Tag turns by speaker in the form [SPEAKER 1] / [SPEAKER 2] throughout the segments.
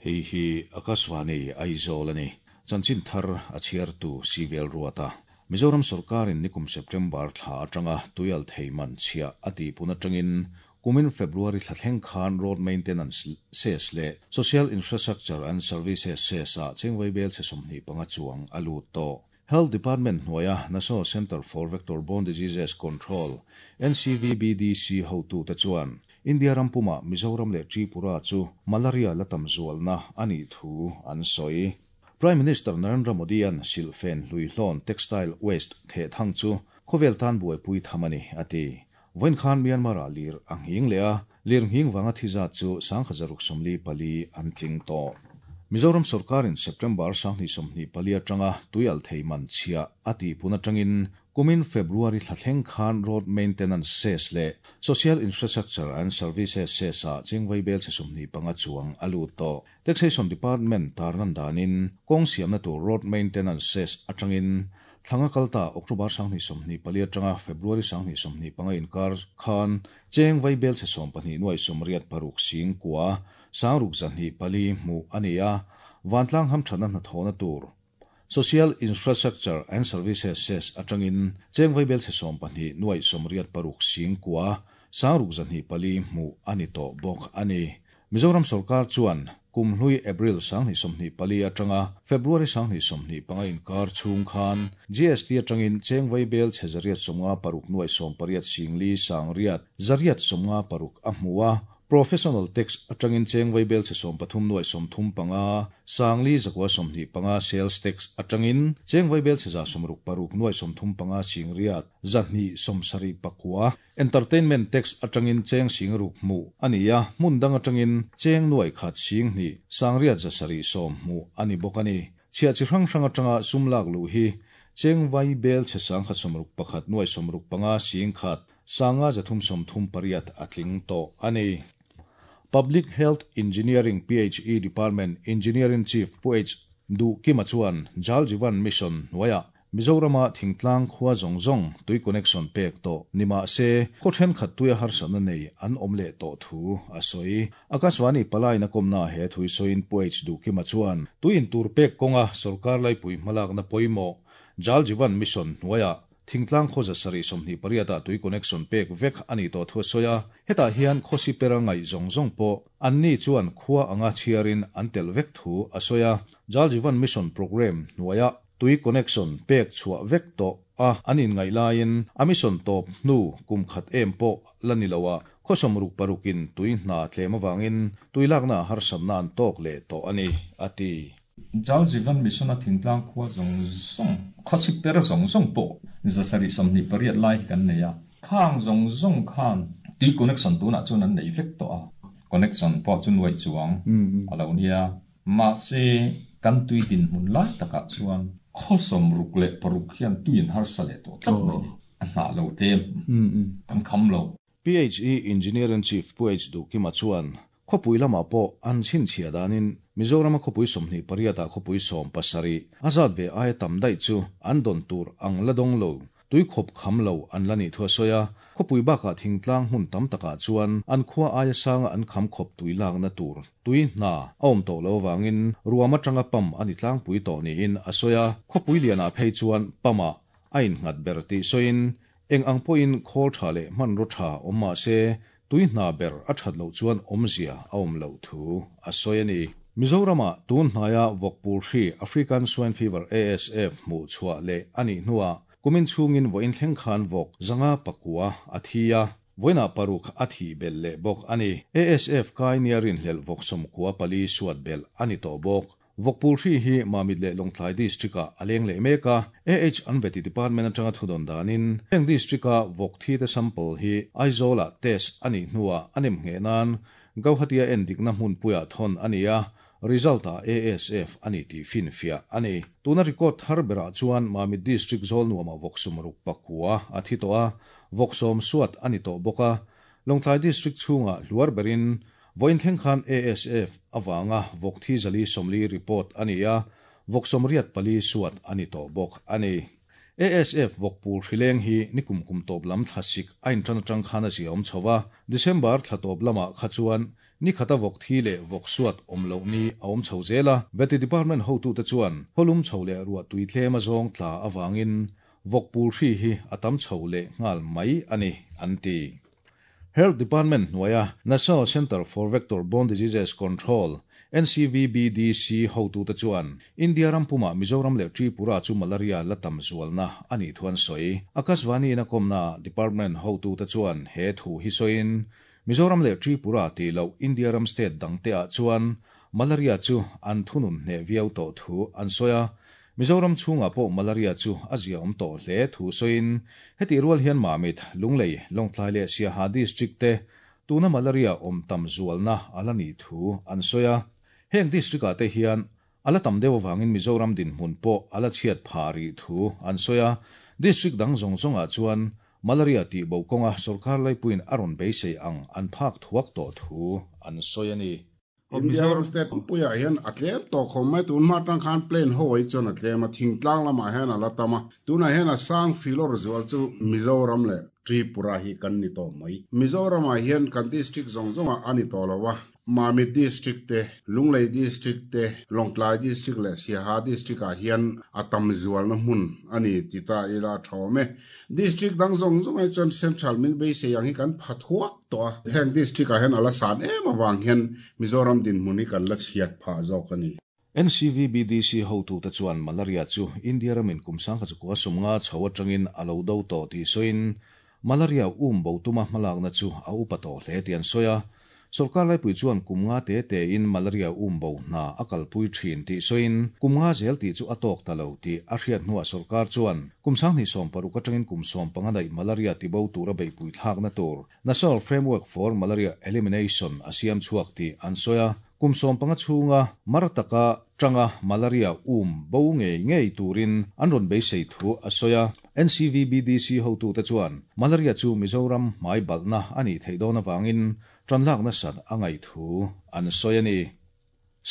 [SPEAKER 1] Hei hi Akashvani Aizawl a ni. Chanchin thar a chhiartu Sivel Ruata. Mizoram sawrkarin nikum September thla atanga tuialthei man chhiah a tihpun atangin kumin February thla thleng khan Road Maintenance Cess leh Social Infrastructure and Services Cess ah chengvei bel chhe 25 chuang a lut tawh. Health Department hnuaia National Centre for Vector Borne Diseases Control, NCVBDC, hotute chuan India ram pumah Mizoram leh Tripura chu malaria la tam zualna a nih thu an sawi. Prime Minister Narendra Modi-a'n silhfen hluihlawn textile waste theh thang chu khawvel tan buaipui tham a ni, a ti. Vawiin khan Myanmar-ah lir a nghing leh a, lir nghing vanga thi zat chu 1644 an tling tawh. Mizoram sawrkarin September 2024 atanga tuialthei man chhiah a tihpun atangin kumin February thla thleng khan Road Maintenance Cess leh Social Infrastructure and Services Cess-ah chengvai bel chhe 25 chuang a lut tawh. Taxation Department tarlan danin kawng siamna tur Road Maintenance Cess atangin Thlanga kal ta October 2024 atanga February 2025 inkar khan cheng vai bel chhe 12 nuai 86 sing kua sangruk zahnih pali hmuh a ni a, vantlang hamthatna hnathawhna tur Social Infrastructure and Services Cess atangin cheng vai bel chhe 12 nuai 86 sing kua sangruk zahnih pali hmuh a ni tawh bawk a ni. Mizoram sawrkar chuan kumhlui April 2024 atanga February 2025 inkar chhung khan GST atangin cheng vai bel chhe 156 nuai 18 singli sangriat 156 a hmu a, Professional tax atangin cheng vai bel chhe 13 nuai 35 sangli 125 sales tax atangin cheng vai bel chhe 66 nuai 35 singriat 274. Entertainment tax atangin cheng singruk mu ania, hmun dang atangin cheng nuai khat sing ni sangriat zasari som mu ani bawk ani. Chhia chi hrang hrang atanga sumlak lu hi cheng vai bel chhe sang khat 61 nuai 65 sing khat sanga 338 atling to ani. Public Health Engineering PHE Department Engineering Chief Pu H Du Kima chuan Jal Jeevan Mission hnuaia Mizorama thingtlang khua zawng zawng tui connection pek tawh nima se khaw thenkhat tuia harsatna nei an awm leh tawh thu a sawi. Akashvani palai na kawmna he thui sawiin Pu H Du Kima chuan tuin tur pek kawnga sawrkar laipui hmalakna pawimawh Jal Jeevan Mission hnuaia thingtlang khaw 728 ah tui connection pek vek ani tawh thu a sawi a, hetah hian khawsi pera ngaih zawng zawng pawh an ni chuan khua anga chhiarin an tel vek thu a sawi a. Jal Jeevan Mission program hnuaia tui connection pek chhuah vek tawh a an inngaih laiin a mission tawp hnu kum khat em pawh la ni lo a, khaw 66 in tui hna tlem awangin tui lakna harsatna an tawk leh tawh a ni, a ti.
[SPEAKER 2] Jal Jeevan Mission a thingtlang khua zawng zawng, khawsi per zawng zawng pawh 728 lai hi kan nei a, khang zawng zawng khan tui connection tunah chuan an nei vek tawh a, connection pawh chu nuai chuang a lo nia. Mahse kan tui din hmun lai takah chuan khaw 66 hian tuin harsa leh tawh tlat mai ni, a hnah lo tlem, kan kham lo.
[SPEAKER 1] PHE Engineering Chief Pu H Du Kima chuan khawpui lamah pawh an chhinchhiah danin Mizorama khawpui 28 ah khawpui 17 a zat ve aia tam daih chu an dawn tur ang la dawng lo, tui khawp kham lo an la nih thu a sawi a, khawpui bakah thingtlang hmun tam takah chuan an khua aia sanga an kham khawp tui lakna tur tui hna a awm tawh lo awangin ruam atanga pam a ni tlangpui tawh niin a sawi a, khawpui lianah phei chuan pamah a innghat ber tih sawiin eng ang pawhin khawl tha leh hmanraw tha awm mah se tui hna ber a that loh chuan awmzia a awm loh thu a sawi a ni. Mizorama tun hnaia vawkpul hri African Swine Fever ASF hmuh chhuah leh a nih hnuah kumin chhungin vawiin thleng khan vawk 509 a thi a, vawiinah paruk a thih belh leh bawk a ni. ASF kai nia rinhlelh vawk 94 suat belh a ni tawh bawk. Vawkpul hri hi Mamit leh Lawngtlai District-ah a leng leh mek a, AH an veti department atanga thudawn danin heng district-a vawk thi te sample hi Aizawl-ah test a nih hnuah a nem ngheh nan Gauhati-a endikna hmunpuiah thawn a ni a, result-ah ASF a ni tih finfiah a ni. Tuna record thar berah chuan Mamit District zawl nuamah vawk 69 a thi tawh a, vawk 10 suat a ni tawh bawk a, Lawngtlai District chhungah hluar berin vawiin thleng khan ASF awanga vawk thi 440 report a ni a, vawk 84 suat a ni tawh bawk a ni. ASF vawkpul hrileng hi nikum kum tawp lam thlasik a intan atang khan a ziaawm chho a, December thla tawp lamah kha chuan ni khata vawk thi leh vawk suat awm loh ni a awm chho zel a. Vety Department hotute chuan khawlum chho leh ruah tui tlem a zawng tla avangin vawkpul hri hi a tam chho leh nghal mai a ni, an ti. Health Department hnuaia National Centre for Vector Borne Diseases Control, NCVBDC, hotute chuan India ram pumah Mizoram leh Tripura chu malaria la tam zualna a nih thu an sawi. Akashvani-in a kawmnaah department hotute chuan he thu hi sawiin, Mizoram leh Tripura tih loh India ram state dangteah chuan malaria chu an thunun hneh viau tawh thu an sawi a. Mizoram chhungah pawh malaria chu a ziaawm tawh hle thu sawiin, hetih rual hian Mamit, Lunglei, Lawngtlai leh Siaha District te tuna malaria awm tam zualna a la nih thu an sawi a. Heng district ah te hian a la tam deuh avangin Mizoram dinhmun pawh a la chhiat phah rih thu an sawi a. District dang zawng zawngah chuan malaria tihbo kawnga sorkar laipuiin a rawn beisei ang an phak thuak tawh thu an sawi a ni.
[SPEAKER 3] Mizoram state puiah hian a tlem tawh khawm mai. Tun hma atang khan plane ho hi chuan a tlem a, thingtlang lamah hian a la tam a. Tunah hian a sang filawr zual chu Mizoram leh Tripura hi kan ni tawh mai. Mizoramah hian kan district zawng zawngah a ni tawh lo a, Mamit district te, Lunglei district te, Lawngtlai district leh Siaha district ah hian a tam zualna hmun a ni ti ta ila a tha awm e. District dang zawng zawng hi chuan central min beisei ang hi kan pha thuak tawh a. Heng district ah hian a la san em avang hian Mizoram dinhmun hi kan la chhiat phah zawk a ni.
[SPEAKER 1] NCVBDC hotute chuan malaria chu India ramin kum 1950 chho atangin a lo do tawh tih sawiin malaria um bo tuma hmalakna chu a upa tawh hle tih an sawi a. Sorkar laipui chuan kum nga te tein malaria um bo hna a kalpui thin tih sawiin kum nga zel tih chu a tawk ta lo tih a hriat hnuah sorkar chuan kum 2016 atangin kum 15 daih malaria tibo tura beihpui thlakna tur National Framework for Malaria Elimination a siam chhuak tih an sawi a. Kum 15 chhunga mar taka tanga malaria um bo ngei ngei turin an rawn beisei thu a sawi a. NCVBDC hotute chuan malaria chu Mizoram hmai balhna a nih theih dawn avangin tanlak nasat a ngaih thu an sawi a ni.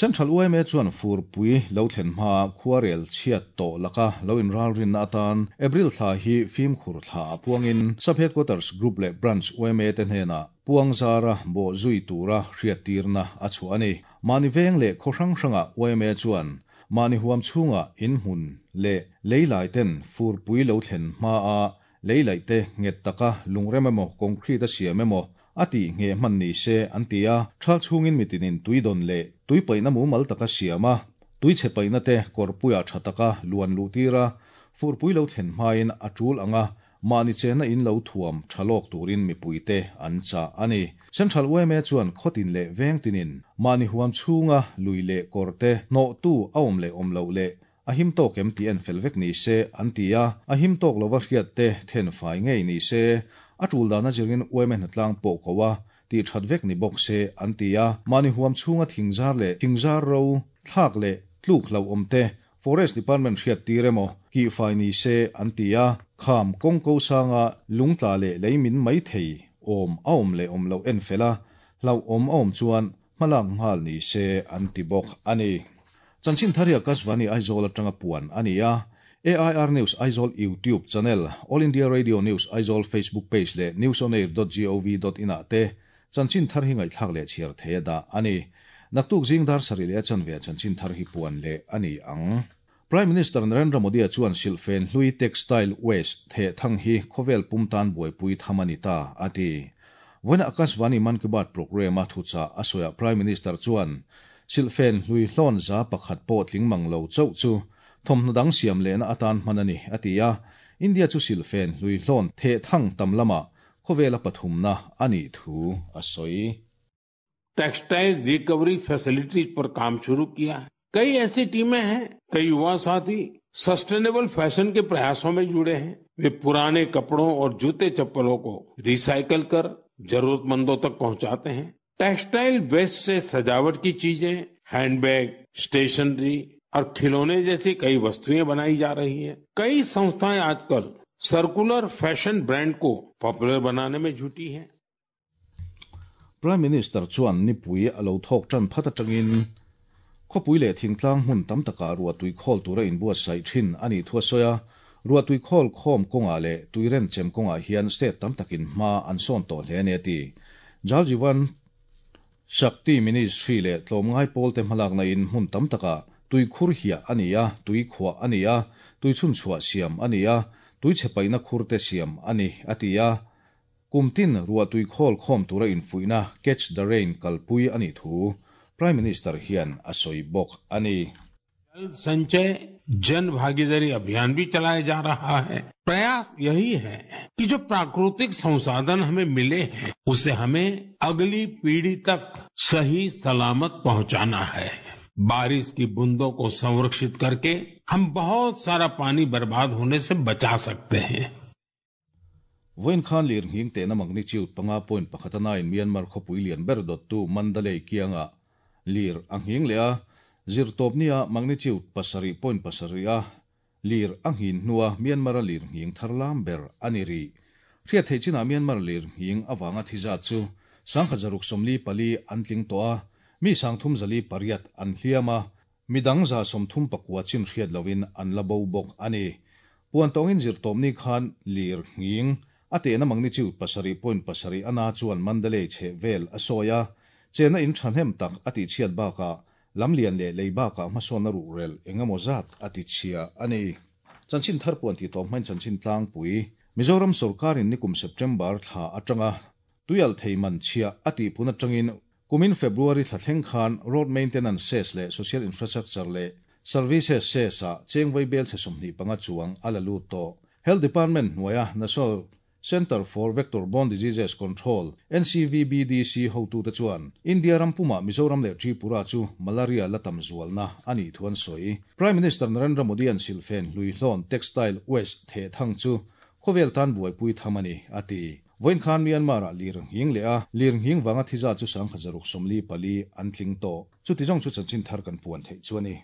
[SPEAKER 1] Central yma chuan furpui lo thlen hma khuarel chhiat tawh laka lo inralrinna atan April thla hi fimkhur thla ah puangin Sub Headquarters Group leh Branch yma te hnenah puang zara bawh zui tura hriattirna a chhuah a ni. Mahni veng leh khaw hrang hrangah yma chuan mahni huam chhungah inhmun leh leilai ten furpui lo thlen hmaa leilaih te nghet taka lungrem emaw concrete a siam emaw a tih ngheh hman ni se an ti a, thal chhungin mitinin tui dawn leh tui paihna mumal taka siam a, tui chhe paihna te kawrpuiah tha taka luan luh tir a, furpui lo thlen hmain a tul ang a, mahni chenna in lo thuam tha lawk turin mipuite an chah a ni. Central yma chuan khawtin leh vengtinin mahni huam chhunga lui leh kawr te hnawhtu a awm leh awm loh leh A him tawk em tih en fel vek ni se an ti a, a him tawk lova hriat te then fai ngei ni se, a tul dan a zirin yma hnatlang pawh ko a, tih that vek ni bawk se an ti a, mahni huam chhunga thingzar leh thingzar ro thlak leh tluk hlauhawm te Forest Department hriat tir emaw kih fai ni se an ti a, kham kawng ko sanga lungtla leh lei min mai thei awm a awm leh awm loh en fel a, hlauhawm a awm chuan hmalak nghal ni se an ti bawk a ni. Chanchin thar hi Akashvani Aizawl atanga puan a ni a, AIR News Aizawl YouTube channel, All India Radio News Aizawl Facebook page leh newsonair.gov.in ah te chanchin thar hi ngaihthlak leh chhiar thei a dah a ni. Naktuk zing dar sarih leh a chanve chanchin thar hi puan leh a ni ang. Prime Minister Narendra Modi-a chuan silhfen hlui textile waste theh thang hi khawvel pum tan buaipui tham a ni ta, a ti. Vawiina Akashvani Mann Ki Baat programme-a thuchah a sawiah Prime Minister chuan silhfen hlui hlawn 1% pawh tling mang lo chauh chu thawmhnaw dang siam lehna atan hman a ni, a ti a. India chu silhfen hlui hlawn theh thang tam lamah khawvela pathumna a nih thu a sawi.
[SPEAKER 4] Textile recovery facilities पर काम शुरू किया है। कई ऐसी टीमें हैं, कई युवा साथी सस्टेनेबल फैशन के प्रयासों में जुड़े हैं। वे पुराने कपड़ों और जूते चप्पलों को रिसाइकल कर जरूरतमंदों तक पहुंचाते हैं। टेक्सटाइल वेस्ट से सजावट की चीजें, हैंडबैग, स्टेशनरी और खिलौने जैसी कई वस्तुएं बनाई जा रही हैं। कई संस्थाएं आजकल circular fashion brand को पॉपुलर बनाने में जुटी हैं।
[SPEAKER 1] Prime Minister chuan nipui a lo thawk tan phat atangin khawpui leh thingtlang hmun tam takah ruah tui khawl tura inbuatsaih thin a nih thu a sawi a. Ruahtui khawl khawm kawngah leh tuiren chem kawngah hian state tam takin hma an sawn tawh hle a ni a ti. Jal Jeevan Shakti Ministry leh tlawmngai pawlte hmalakna in hmun tam takah tui khur hiah a ni a, tui khuah a ni a, tui chhunchhuah siam a ni a, tui chhe paihna khur te siam a ni, a ti a. Kum tin ruahtui khawl khawm tura infuihna Catch the Rain kalpui a nih thu Prime Minister hian a sawi bawk a ni.
[SPEAKER 4] जल संचय जन भागीदारी अभियान भी चलाया जा रहा है। प्रयास यही है कि जो प्राकृतिक संसाधन हमें मिले हैं उसे हमें अगली पीढ़ी तक सही सलामत पहुंचाना है। बारिश की बूंदों को संरक्षित करके हम बहुत सारा पानी बर्बाद होने से बचा सकते हैं।
[SPEAKER 1] Vawiin khan lirnghing tehna magnitude 5.1 a nain Myanmar khawpui lian ber dawttu Mandalay kiangah lir a nghing leh a, Zirtawpnia magnitude 7.7 a lir a nghin hnua Myanmar-a lirnghing thar lam ber a ni rih. Hriat theih chinah Myanmar lirnghing avanga thi zat chu 1644 an tling tawh a, mi 348 an hliam a, midang 39 chin hriat lohin an la bo bawk a ni. Puan tawngin Zirtawpni khan lirnghing a tehna magnitude 7.7 a na chuan Mandalay chheh vel a sawi a, chenna in thahnem tak a tihchhiat bakah lamlian leh lei bakah hmasawnna ruhrel eng emaw zat a tichhia a ni. Chanchin thar puan tih tawp hmain chanchin tlangpui Mizoram sawrkarin nikum September thla atanga tuialh thei man chhia a tihpun atangin kumin February thla thleng khan Road Maintenance Cess leh Social Infrastructure leh Services Cess ah cheng vai bel chhe 25 chuang a la lut tawh. Health Department hnuaia National Centre for Vector Borne Diseases Control, NCVBDC, hotute chuan India ram pumah Mizoram leh Tripura chu malaria la tam zualna a nih thu an sawi. Prime Minister Narendra Modi-a'n silhfen hluihlawn, textile waste, theh thang chu khawvel tan buaipui tham a ni, a ti. Vawiin khan Myanmar-ah lir nghing leh a lir nghing vanga thi zat chu 1644 an tling tawh. Chuti zawng chu chanchin thar kan puan theih chu a ni.